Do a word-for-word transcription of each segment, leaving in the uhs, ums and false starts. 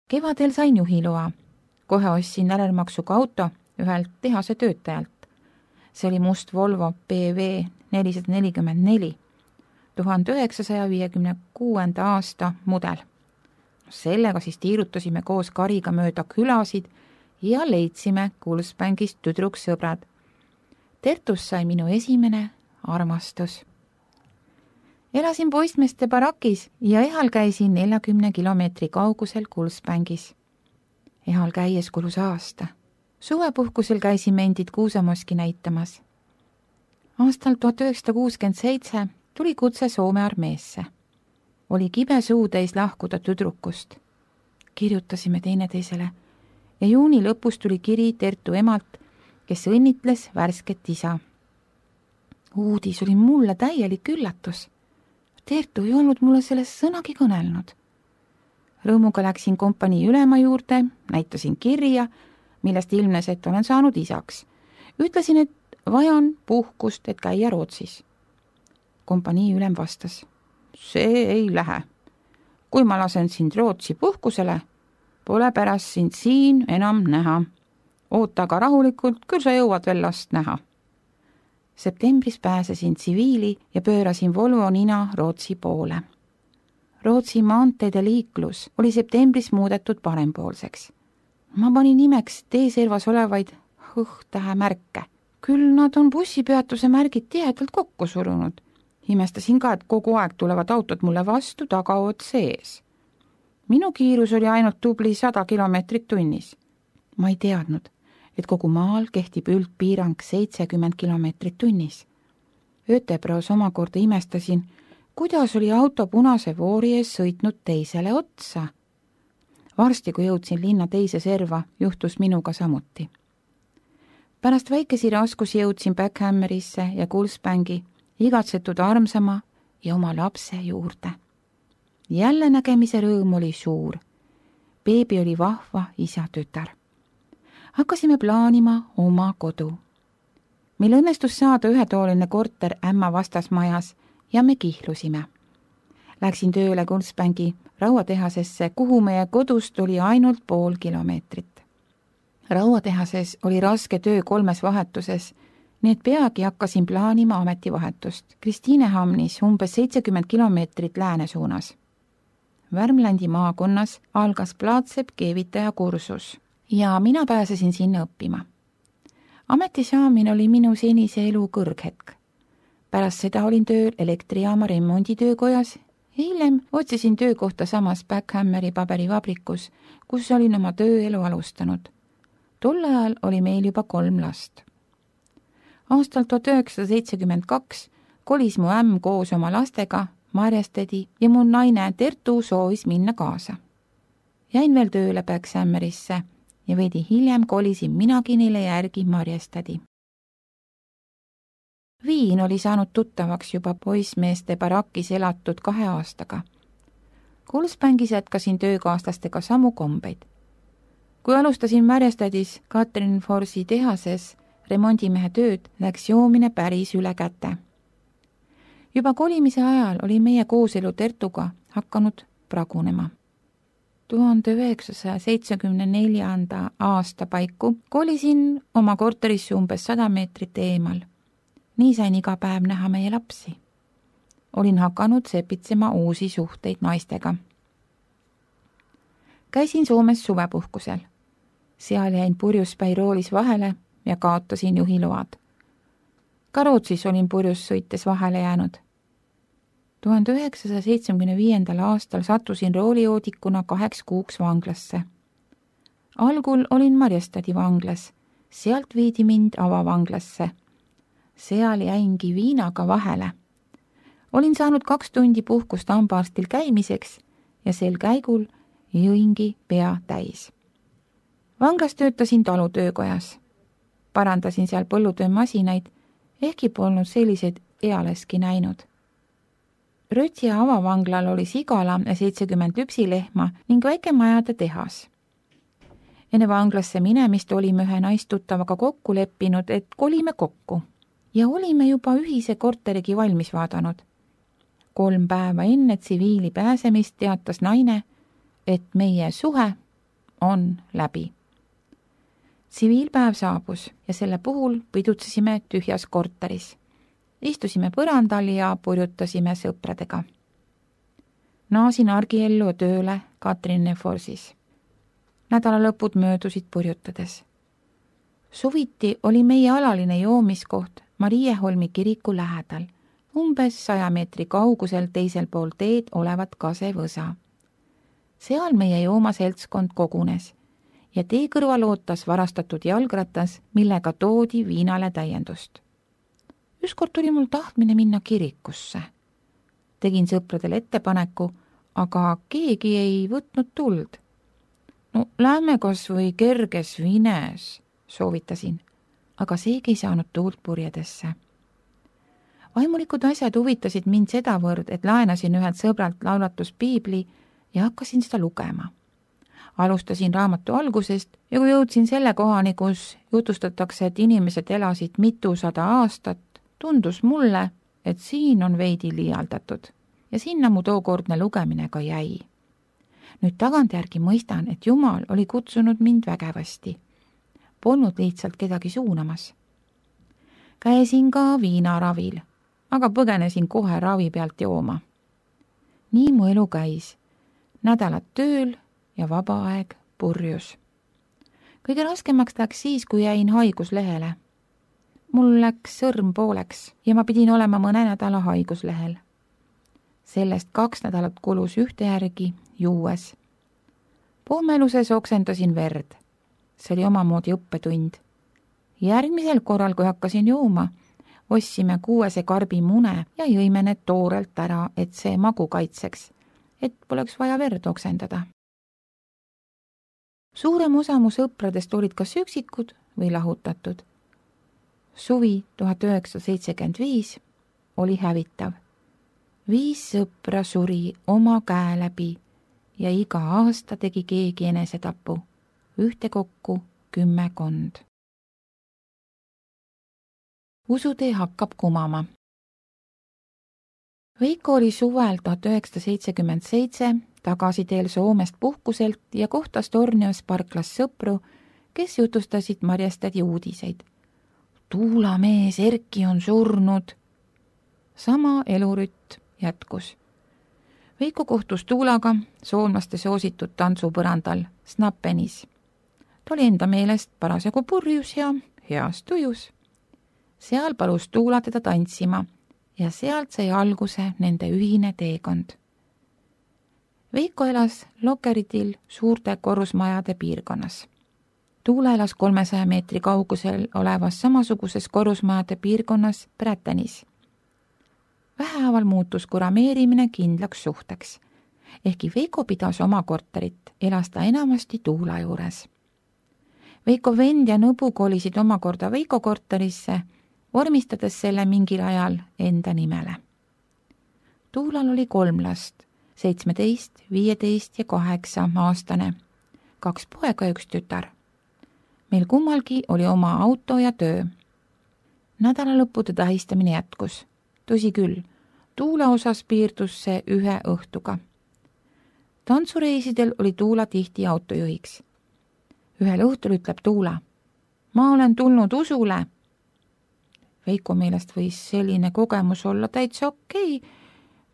Kevadel sain juhiloa. Kohe ostsin närelmaksuga auto ühelt tehase töötajalt. See oli must Volvo B V nelisada nelikümmend neli, tuhande üheksasaja viiekümne kuuenda aasta mudel. Sellega siis tiirutasime koos Kariga mööda külasid ja leidsime Kulspängist tüdruksõbrad. Tertust sai minu esimene armastus. Elasin poistmeeste barakis ja ehal käisin neljakümne kilomeetri kaugusel Kulspängis. Ehal käies kulus aasta. Suvepuhkusel käisime endid Kuusamoski näitamas. Aastal tuhat üheksasada kuuskümmend seitse tuli kutse Soome armeesse. Oli kibe suu täis lahkuda tüdrukust. Kirjutasime teineteisele ja juuni lõpus tuli kiri Tertu emalt, kes õnnitles värsket isa. Uudis oli mulle täielik üllatus. Tertu ei olnud mulle sellest sõnagi kõnelnud. Rõõmuga läksin kompanii ülema juurde, näitasin kirja, millest ilmnes, et olen saanud isaks. Ütlesin, et vajan puhkust, et käia Rootsis. Kompanii ülem vastas, see ei lähe. Kui ma lasen sind Rootsi puhkusele, pole pärast sind siin enam näha. Oota aga rahulikult, küll sa jõuad veel last näha. Septembris pääsesin tsiviili ja pöörasin Volvo nina Rootsi poole. Rootsi maanteede liiklus oli septembris muudetud parempoolseks. Ma panin nimeks teeservas olevaid hõh-tähe märke. Küll nad on bussipeatuse märgid tihedalt kokku surunud. Imestasin ka, et kogu aeg tulevad autod mulle vastu tagaood sees. Minu kiirus oli ainult tubli sada kilomeetrit tunnis. Ma ei teadnud, et kogu maal kehtib üldpiirang seitsekümmend kilomeetrit tunnis. Ötebros omakorda imestasin, kuidas oli auto punase voori ees sõitnud teisele otsa. Varsti, kui jõudsin linna teise serva, juhtus minuga samuti. Pärast väikesi raskusi jõudsin Backhammerisse ja Kulsbängi, igatsetud armsama ja oma lapse juurde. Jälle nägemise rõõm oli suur. Beebi oli vahva isa tütar. Hakkasime plaanima oma kodu. Meil õnnestus saada ühetooline korter ämma vastasmajas ja me kihlusime. Läksin tööle Kulsbängi rauatehasesse, kuhu meie kodust oli ainult pool kilomeetrit. Rauatehases oli raske töö kolmes vahetuses, nii et peagi hakkasin plaanima ametivahetust. Kristiinehamnis umbes seitsekümmend kilomeetrit lääne suunas. Värmlandi maakonnas algas Plaatsep keevitaja kursus ja mina pääsesin sinna õppima. Ameti saamine oli minu senise elu kõrghetk. Pärast seda olin tööl elektrijaama remonditöökojas. Hiljem otsisin töökohta samas Backhammeri paberivabrikus, kus olin oma tööelu alustanud. Tol ajal oli meil juba kolm last. Aastal tuhat üheksasada seitsekümmend kaks kolis mu ämm koos oma lastega Marjastedi ja mu naine Tertu soovis minna kaasa. Jäin veel tööle Backhammerisse ja veidi hiljem kolisin minagi neile järgi Marjastedi. Viin oli saanud tuttavaks juba poismeeste barakis elatud kahe aastaga. Kulsbängis jätkasin töökaaslastega samu kombeid. Kui alustasin Marjastedis Katrin Forsi tehases remondimehe tööd, läks joomine päris üle käte. Juba kolimise ajal oli meie kooselu Tertuga hakanud pragunema. tuhande üheksasaja seitsmekümne neljanda aasta paiku kolisin oma korterisse umbes sada meetrit eemal. Nii sain iga päev näha meie lapsi. Olin hakanud sepitsema uusi suhteid naistega. Käisin Soomes suvepuhkusel. Seal jäin purjus Päiroolis vahele ja kaotasin juhiload. Ka Rootsis olin purjus sõites vahele jäänud. tuhande üheksasaja seitsmekümne viiendal aastal sattusin roolijoodikuna kaheks kuuks vanglasse. Algul olin Marjastadi vanglas, sealt viidi mind avavanglasse. Seal jäingi viinaga vahele. Olin saanud kaks tundi puhkust hambaarstil käimiseks ja sel käigul jõingi pea täis. Vanglas töötasin talutöökojas. Parandasin seal põllutöömasinaid, ehkki polnud selliseid ealeski näinud. Rötsia avavanglal oli sigala ja seitsekümmend lüpsilehma ning väike majade tehas. Enne vanglasse minemist olime ühe naistuttavaga kokku leppinud, et kolime kokku ja olime juba ühise korterigi valmis vaadanud. Kolm päeva enne tsiviili pääsemist teatas naine, et meie suhe on läbi. Tsiviilpäev saabus ja selle puhul pidutsesime tühjas korteris. Istusime põrandal ja purjutasime sõpradega. Naasin argiellu ja tööle Katrin Forsis. Nädalalõpud möödusid purjutades. Suviti oli meie alaline joomiskoht Marie Holmi kiriku lähedal, umbes saja meetri kaugusel teisel pool teed olevat kasevõsa. Seal meie joomaseltskond kogunes ja tee kõrval ootas varastatud jalgratas, millega toodi viinale täiendust. Ükskord tuli mul tahtmine minna kirikusse. Tegin sõpradele ettepaneku, aga keegi ei võtnud tuld. No lähme kas või kerges vines, soovitasin, aga seegi ei saanud tuult purjedesse. Vaimulikud asjad huvitasid mind sedavõrd, et laenasin ühelt sõbralt laulatuspiibli ja hakkasin seda lugema. Alustasin raamatu algusest ja kui jõudsin selle kohani, kus jutustatakse, et inimesed elasid mitusada aastat, tundus mulle, et siin on veidi liialdatud ja sinna mu tookordne lugemine ka jäi. Nüüd tagantjärgi mõistan, et Jumal oli kutsunud mind vägevasti. Polnud lihtsalt kedagi suunamas. Käisin ka viinaravil, aga põgenesin kohe ravi pealt jooma. Nii mu elu käis. Nädalad tööl ja vaba aeg purjus. Kõige raskemaks läks siis, kui jäin haiguslehele. Mul läks sõrm pooleks ja ma pidin olema mõne nädala haiguslehel. Sellest kaks nädalat kulus ühte järgi juues. Pohmeluses oksendasin verd. See oli omamoodi õppetund. Järgmisel korral, kui hakkasin jooma, ostsime kuuese karbi mune ja jõime need toorelt ära, et see magu kaitseks, et poleks vaja verd oksendada. Suurem osa mu sõpradest olid kas üksikud või lahutatud. Suvi tuhat üheksasada seitsekümmend viis oli hävitav. Viis sõpra suri oma käe läbi ja iga aasta tegi keegi enesetapu, ühtekokku kümmekond. Usutee hakkab kumama. Veiko oli suvel tuhat üheksasada seitsekümmend seitse tagasi teel Soomest puhkuselt ja kohtas Tornios parklas sõpru, kes jutustasid Marjestadi uudiseid. Tuulamees Erki on surnud. Sama elurütt jätkus. Veiko kohtus Tuulaga soomlaste soositud tantsupõrandal Snappenis. Ta oli enda meelest parasjagu purjus ja heas tujus. Seal palus Tuula teda tantsima ja sealt sai alguse nende ühine teekond. Veiko elas Lokeritil suurte korrusmajade piirkonnas. Tuula elas kolmesaja meetri kaugusel olevas samasuguses korrusmajade piirkonnas Prätenis. Vähehaaval muutus kurameerimine kindlaks suhteks. Ehkki Veiko pidas oma korterit, elas ta enamasti Tuula juures. Veiko vend ja nõbu kolisid omakorda Veiko korterisse, vormistades selle mingil ajal enda nimele. Tuulal oli kolm last, seitsmeteist, viieteist ja kaheksa aastane, kaks poega ja üks tütar. Meil kummalgi oli oma auto ja töö. Nädalalõppude tähistamine jätkus. Tõsi küll, Tuula osas piirdus see ühe õhtuga. Tantsureisidel oli Tuula tihti autojuhiks. Ühel õhtul ütleb Tuula, ma olen tulnud usule. Veiko meelest võis selline kogemus olla täitsa okei,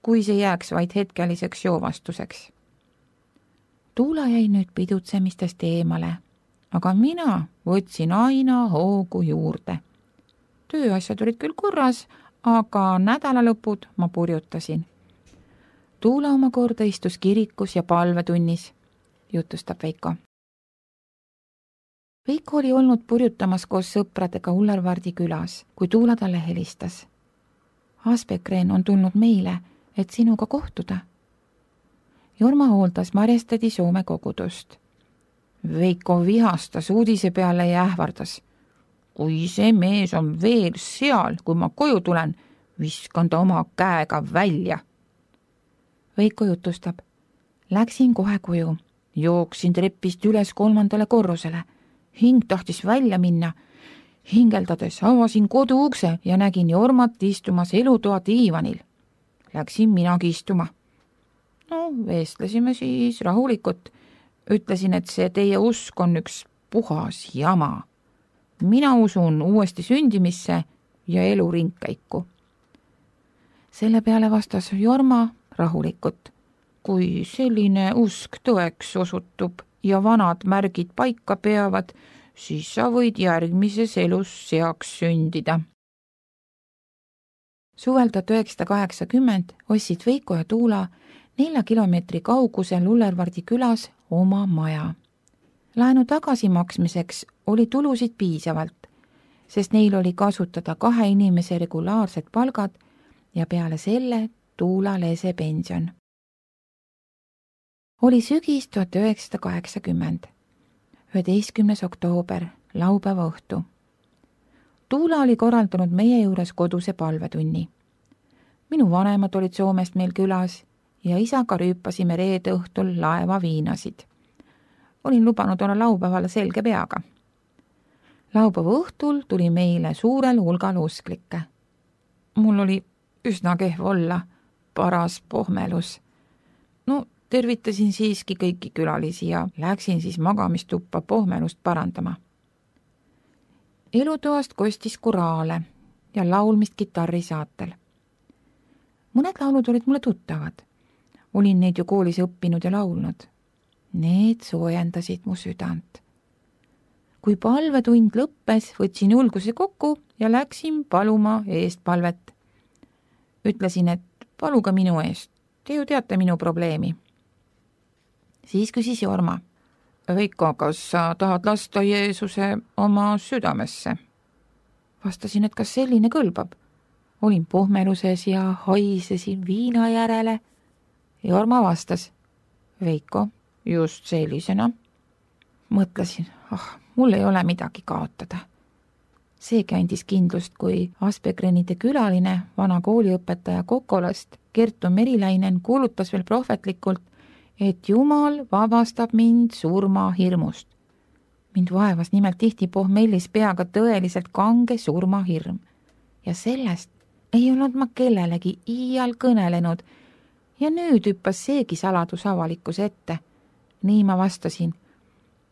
kui see jääks vaid hetkeliseks joovastuseks. Tuula jäi nüüd pidutsemistest eemale, aga mina võtsin aina hoogu juurde. Tööasjad olid küll korras, aga nädalalõpud ma purjutasin. Tuula omakorda istus kirikus ja palvetunnis, jutustab Veiko. Veiko oli olnud purjutamas koos sõpradega Ullervardi külas, kui Tuula talle helistas. Aspekreen on tulnud meile, et sinuga kohtuda. Jorma hooldas Marjestadi Soome kogudust. Veiko vihastas uudise peale ja ähvardas. Kui see mees on veel seal, kui ma koju tulen, viskan ta oma käega välja. Veiko jutustab. Läksin kohe koju. Jooksin trepist üles kolmandale korrusele. Hing tahtis välja minna. Hingeldades avasin kodu ukse ja nägin Jormat istumas elutoa diivanil. Läksin minagi istuma. No, vestlesime siis rahulikult. Ütlesin, et see teie usk on üks puhas jama. Mina usun uuesti sündimisse ja elu ringkäiku. Selle peale vastas Jorma rahulikult. Kui selline usk tõeks osutub ja vanad märgid paika peavad, siis sa võid järgmises elus seaks sündida. Suvel tuhat üheksasada kaheksakümmend ostsid Veiko ja Tuula nelja kilomeetri kaugusel Lullervardi külas oma maja. Laenu tagasimaksmiseks oli tulusid piisavalt, sest neil oli kasutada kahe inimese regulaarsed palgad ja peale selle Tuula lese pension. Oli sügis tuhat üheksasada kaheksakümmend, üheteistkümnes oktoober, laupäeva õhtu. Tuula oli korraldanud meie juures koduse palvetunni. Minu vanemad olid Soomest meil külas ja isaga rüüpasime reede õhtul laeva viinasid. Olin lubanud olla laupäeval selge peaga. Laupäeva õhtul tuli meile suurel hulgal usklikke. Mul oli üsna kehv olla, paras pohmelus. No, tervitasin siiski kõiki külalisi ja läksin siis magamistuppa pohmelust parandama. Elutoast kostis koraale ja laulmist kitarri saatel. Mõned laulud olid mulle tuttavad. Olin neid ju koolis õppinud ja laulnud. Need soojendasid mu südant. Kui palvetund lõppes, võtsin julguse kokku ja läksin paluma eest palvet. Ütlesin, et paluga minu eest. Te ju teate minu probleemi. Siis küsis Jorma. Veiko, kas sa tahad lasta Jeesuse oma südamesse? Vastasin, et kas selline kõlbab. Olin pohmeluses ja haisesin viina järele. Jorma vastas. Veiko, just sellisena. Mõtlesin, ah, mul ei ole midagi kaotada. Seegi andis kindlust, kui Aspegrenide külaline, vana kooliõpetaja Kokolast, Kertu Meriläinen kuulutas veel prohvetlikult, et Jumal vabastab mind surma hirmust. Mind vaevas nimelt tihti pohmellis peaga tõeliselt kange surmahirm. Ja sellest ei olnud ma kellelegi iial kõnelenud ja nüüd hüppas seegi saladus avalikkuse ette. Nii ma vastasin,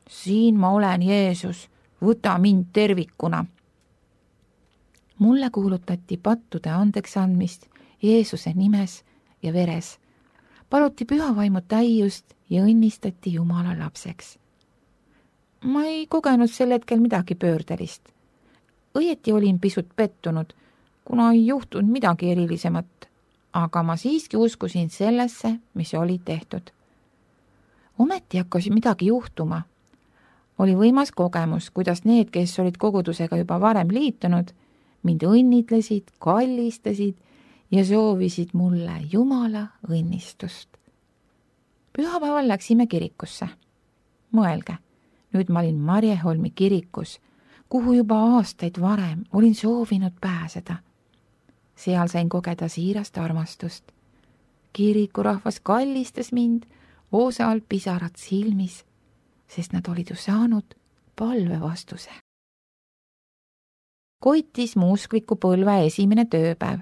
siin ma olen Jeesus, võta mind tervikuna. Mulle kuulutati pattude andeks andmist Jeesuse nimes ja veres. Paluti pühavaimu täiust ja õnnistati Jumala lapseks. Ma ei kogenud sel hetkel midagi pöördelist. Õieti olin pisut pettunud, kuna ei juhtunud midagi erilisemat, aga ma siiski uskusin sellesse, mis oli tehtud. Ometi hakkas midagi juhtuma. Oli võimas kogemus, kuidas need, kes olid kogudusega juba varem liitunud, mind õnnitlesid, kallistasid ja soovisid mulle Jumala õnnistust. Pühapäeval läksime kirikusse. Mõelge, nüüd ma olin Marjeholmi kirikus, kuhu juba aastaid varem olin soovinud pääseda. Seal sain kogeda siirast armastust. Kirikurahvas kallistas mind, osal pisarad silmis, sest nad olid ju saanud palve vastuse. Koitis mu uskliku põlve esimene tööpäev.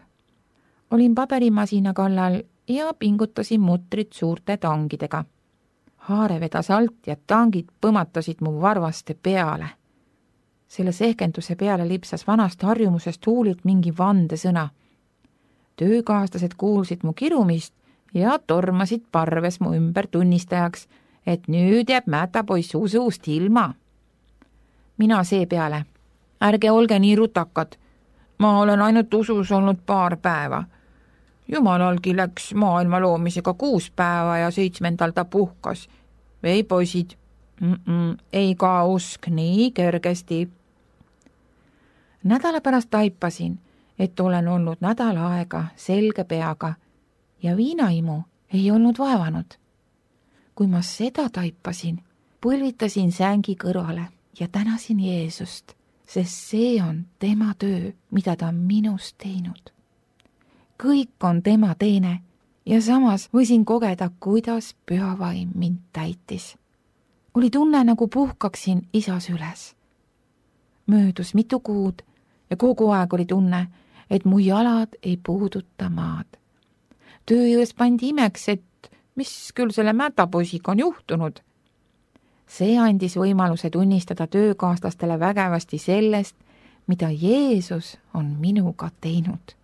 Olin paberimasina kallal ja pingutasin mutrit suurte tangidega. Haare vedas alt ja tangid põmatasid mu varvaste peale. Selle sehkenduse peale lipsas vanast harjumusest huulilt mingi vandesõna. Töökaaslased kuulsid mu kirumist ja tormasid parves mu ümber tunnistajaks, et nüüd jääb mätapoiss usuust ilma. Mina seepeale. Ärge olge nii rutakad. Ma olen ainult usus olnud paar päeva. Jumalalgi läks maailma loomisega kuus päeva ja seitsmendal ta puhkas. Ei poisid, Mm-mm, ei ka usk nii kergesti. Nädala pärast taipasin, et olen olnud nädal aega selge peaga ja viinaimu ei olnud vaevanud. Kui ma seda taipasin, põlvitasin sängi kõrvale ja tänasin Jeesust, sest see on tema töö, mida ta on minust teinud. Kõik on tema teene ja samas võisin kogeda, kuidas pühavaim mind täitis. Oli tunne, nagu puhkaksin isas üles. Möödus mitu kuud ja kogu aeg oli tunne, et mu jalad ei puuduta maad. Töö juures pandi imeks, et mis küll selle mätapoisiga on juhtunud. See andis võimaluse tunnistada töökaaslastele vägevasti sellest, mida Jeesus on minuga teinud.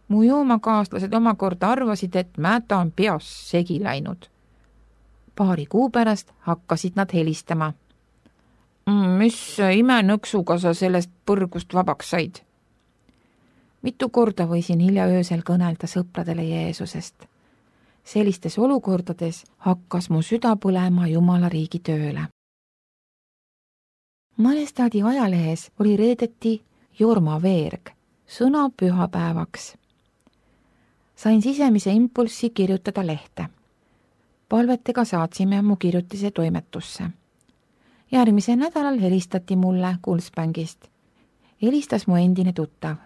Mu joomakaaslased omakorda arvasid, et mäta on peas segi läinud. Paari kuu pärast hakkasid nad helistama. Mis imenõksuga sa sellest põrgust vabaks said? Mitu korda võisin hilja öösel kõnelda sõpradele Jeesusest. Sellistes olukordades hakkas mu süda põlema Jumala riigi tööle. Malestaadi ajalehes oli reedeti jormaveerg, sõna pühapäevaks. Sain sisemise impulssi kirjutada lehte. Palvetega saatsime mu kirjutise toimetusse. Järgmisel nädalal helistati mulle Kulspängist. Helistas mu endine tuttav.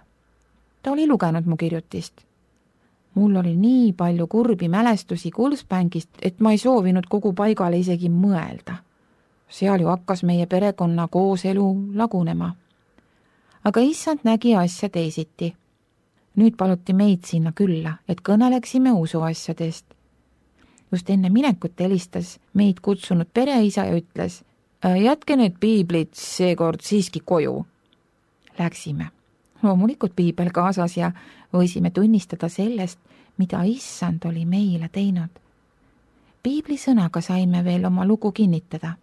Ta oli lugenud mu kirjutist. Mul oli nii palju kurbi mälestusi Kulspängist, et ma ei soovinud kogu paigale isegi mõelda. Seal ju hakkas meie perekonna kooselu lagunema. Aga issand nägi asja teisiti. Nüüd paluti meid sinna külla, et kõneleksime usuasjadest. Just enne minekut helistas meid kutsunud pereisa ja ütles, jätke need piiblid seekord siiski koju. Läksime. Loomulikult piibel kaasas ja võisime tunnistada sellest, mida issand oli meile teinud. Piibli sõnaga saime veel oma lugu kinnitada.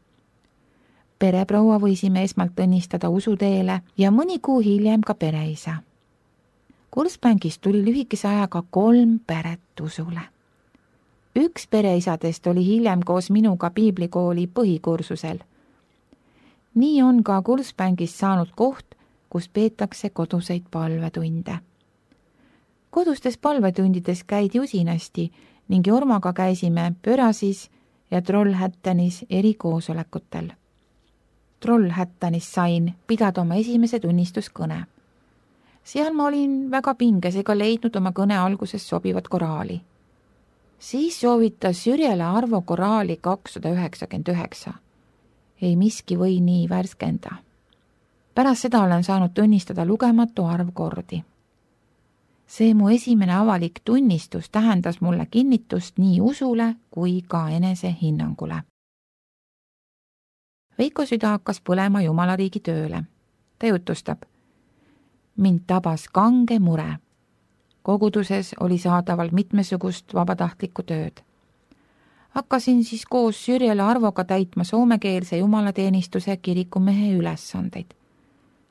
Pereproua võisime esmalt õnnistada usuteele ja mõni kuu hiljem ka pereisa. Kulspängist tuli lühikese ajaga kolm peret usule. Üks pereisadest oli hiljem koos minuga piiblikooli põhikursusel. Nii on ka Kulspängist saanud koht, kus peetakse koduseid palvetunde. Kodustes palvetundides käidi usinasti ning Jormaga käisime Pörasis ja Trollhättanis eri koosolekutel. Trollhättanis sain pidada oma esimese tunnistuskõne. Seal ma olin väga pinges ega leidnud oma kõne alguses sobivat koraali. Siis soovitas Sürjele Arvo koraali kakssada üheksakümmend üheksa. Ei miski või nii värskenda. Pärast seda olen saanud tunnistada lugematu arv kordi. See mu esimene avalik tunnistus tähendas mulle kinnitust nii usule kui ka enese hinnangule. Veiko süda hakkas põlema Jumala riigi tööle. Ta jutustab. Mind tabas kange mure. Koguduses oli saadaval mitmesugust vabatahtlikku tööd. Hakkasin siis koos Sürjele Arvoga täitma soomekeelse jumalateenistuse kirikumehe ülesandeid.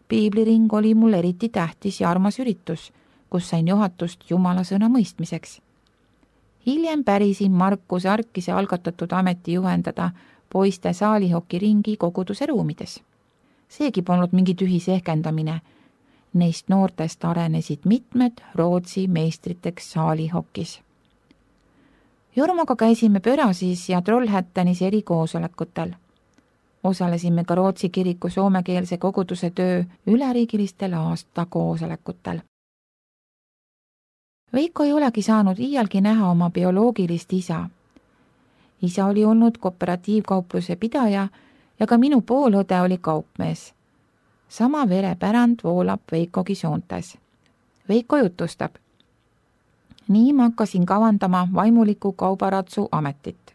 Piibliring oli mul eriti tähtis ja armas üritus, kus sain juhatust Jumala sõna mõistmiseks. Hiljem pärisin Markus Arkise algatatud ameti juhendada poiste saalihokiringi koguduse ruumides. Seegi polnud mingi tühi sehkendamine. Neist noortest arenesid mitmed Rootsi meistriteks saalihokis. Jormaga käisime Pörasis ja Trollhättanis eri koosolekutel. Osalesime ka Rootsi kiriku soomekeelse koguduse töö üleriigilistel aasta koosolekutel. Veiko ei olegi saanud iialgi näha oma bioloogilist isa. Isa oli olnud kooperatiivkaupluse pidaja ja ka minu poolõde oli kaupmees. Sama verepärand voolab Veikogi soontes. Veiko jutustab. Nii ma hakkasin kavandama vaimuliku kaubaratsu ametit.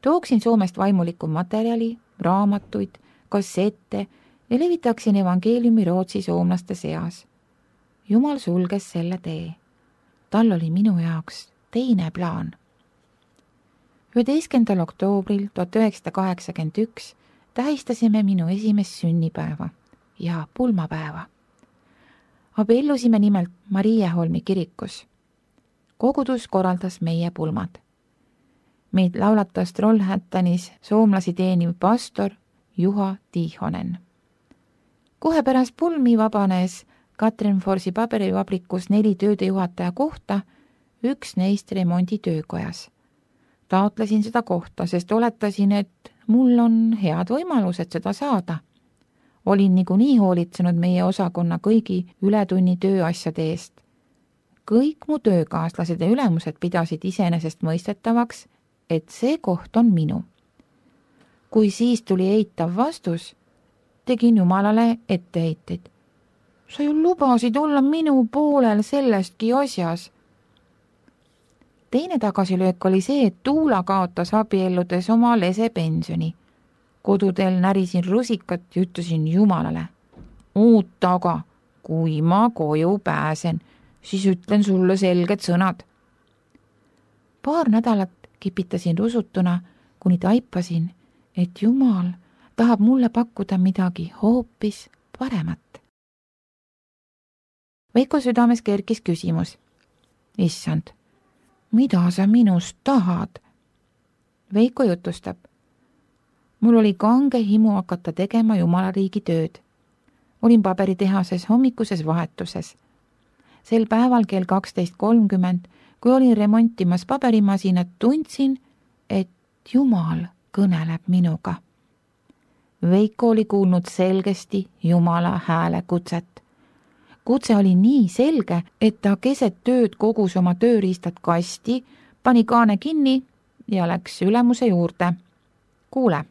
Tooksin Soomest vaimuliku materjali, raamatuid, kassette ja levitaksin evangeeliumi Rootsi soomlaste seas. Jumal sulges selle tee. Tal oli minu jaoks teine plaan. üheteistkümnendal oktoobril tuhat üheksasada kaheksakümmend üks tähistasime minu esimest sünnipäeva ja pulmapäeva. Abiellusime nimelt Mariaholmi kirikus. Kogudus korraldas meie pulmad. Meid laulatas Trollhättanis soomlasi teeniv pastor Juha Tiihonen. Kohe pärast pulmi vabanes Katrinforsi paberivabrikus neli töödejuhataja kohta, üks neist remonditöökojas. Taotlesin seda kohta, sest oletasin, et mul on head võimalused seda saada. Olin niikuinii hoolitsenud meie osakonna kõigi ületunni tööasjade eest. Kõik mu töökaaslased ja ülemused pidasid iseenesest mõistetavaks, et see koht on minu. Kui siis tuli eitav vastus, tegin Jumalale etteheiteid. Sa ju lubasid olla minu poolel sellestki asjas. Teine tagasilöök oli see, et Tuula kaotas abielludes oma lesepensioni. koduteel närisin rusikat ja ütlesin Jumalale, oota aga, kui ma koju pääsen, siis ütlen sulle selged sõnad. Paar nädalat kipitasin rusutuna, kuni taipasin, et Jumal tahab mulle pakkuda midagi hoopis paremat. Veiko südames kerkis küsimus. Issand, mida sa minust tahad? Veiko jutustab. Mul oli kange himu hakata tegema Jumala riigi tööd. Olin paberitehases hommikuses vahetuses. Sel päeval kell kaksteist kolmkümmend, kui olin remontimas paberimasinat, tundsin, et Jumal kõneleb minuga. Veiko oli kuulnud selgesti Jumala hääle kutset. Kutse oli nii selge, et ta keset tööd kogus oma tööriistad kasti, pani kaane kinni ja läks ülemuse juurde. Kuule,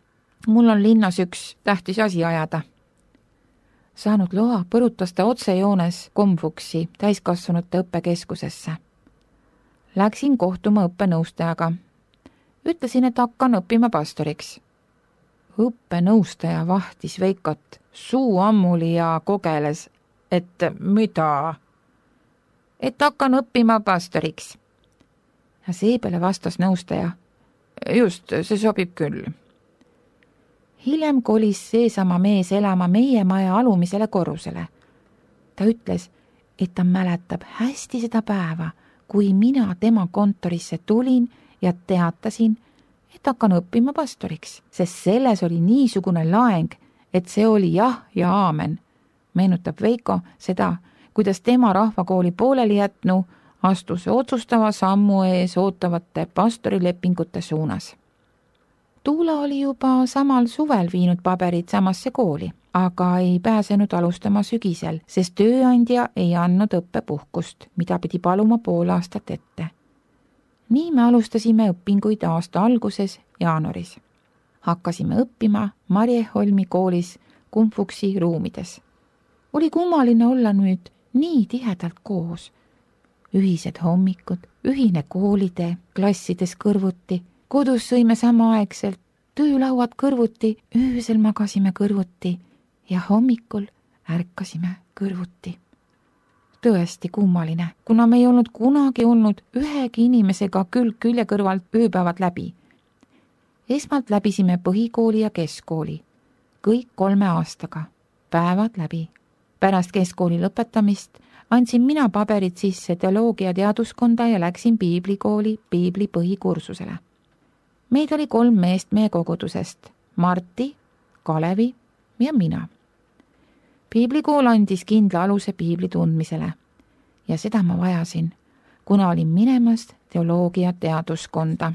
mul on linnas üks tähtis asi ajada. Saanud loa, põrutas ta otsejoones Komfuksi täiskasvanute õppekeskusesse. Läksin kohtuma õppenõustajaga. Ütlesin, et hakkan õppima pastoriks. Õppenõustaja vahtis Veikot, suu ammuli ja kogeles, et mida? Et hakkan õppima pastoriks. Ja seepeale vastas nõustaja. Just, see sobib küll. Hiljem kolis seesama mees elama meie maja alumisele korrusele. Ta ütles, et ta mäletab hästi seda päeva, kui mina tema kontorisse tulin ja teatasin, et hakkan õppima pastoriks, sest selles oli niisugune laeng, et see oli jah ja aamen. Meenutab Veiko seda, kuidas tema rahvakooli pooleli jätnu astus otsustava sammu ees ootavate pastorilepingute suunas. Tuula oli juba samal suvel viinud paberid samasse kooli, aga ei pääsenud alustama sügisel, sest tööandja ei andnud õppepuhkust, mida pidi paluma pool aastat ette. Nii me alustasime õpinguid aasta alguses jaanuaris. Hakkasime õppima Marjeholmi koolis Komfuksi ruumides. Oli kummaline olla nüüd nii tihedalt koos. Ühised hommikud, ühine koolitee, klassides kõrvuti, kodus sõime samaaegselt, töölauad kõrvuti, öösel magasime kõrvuti ja hommikul ärkasime kõrvuti. Tõesti kummaline, kuna me ei olnud kunagi olnud ühegi inimesega külg külje kõrvalt ööpäevad läbi. Esmalt läbisime põhikooli ja keskkooli, kõik kolme aastaga, päevad läbi. Pärast keskkooli lõpetamist andsin mina paberid sisse teoloogia teaduskonda ja läksin piiblikooli piibli põhikursusele. Meid oli kolm meest meie kogudusest, Marti, Kalevi ja mina. Piiblikool andis kindla aluse piibli tundmisele ja seda ma vajasin, kuna olin minemas teoloogia teaduskonda.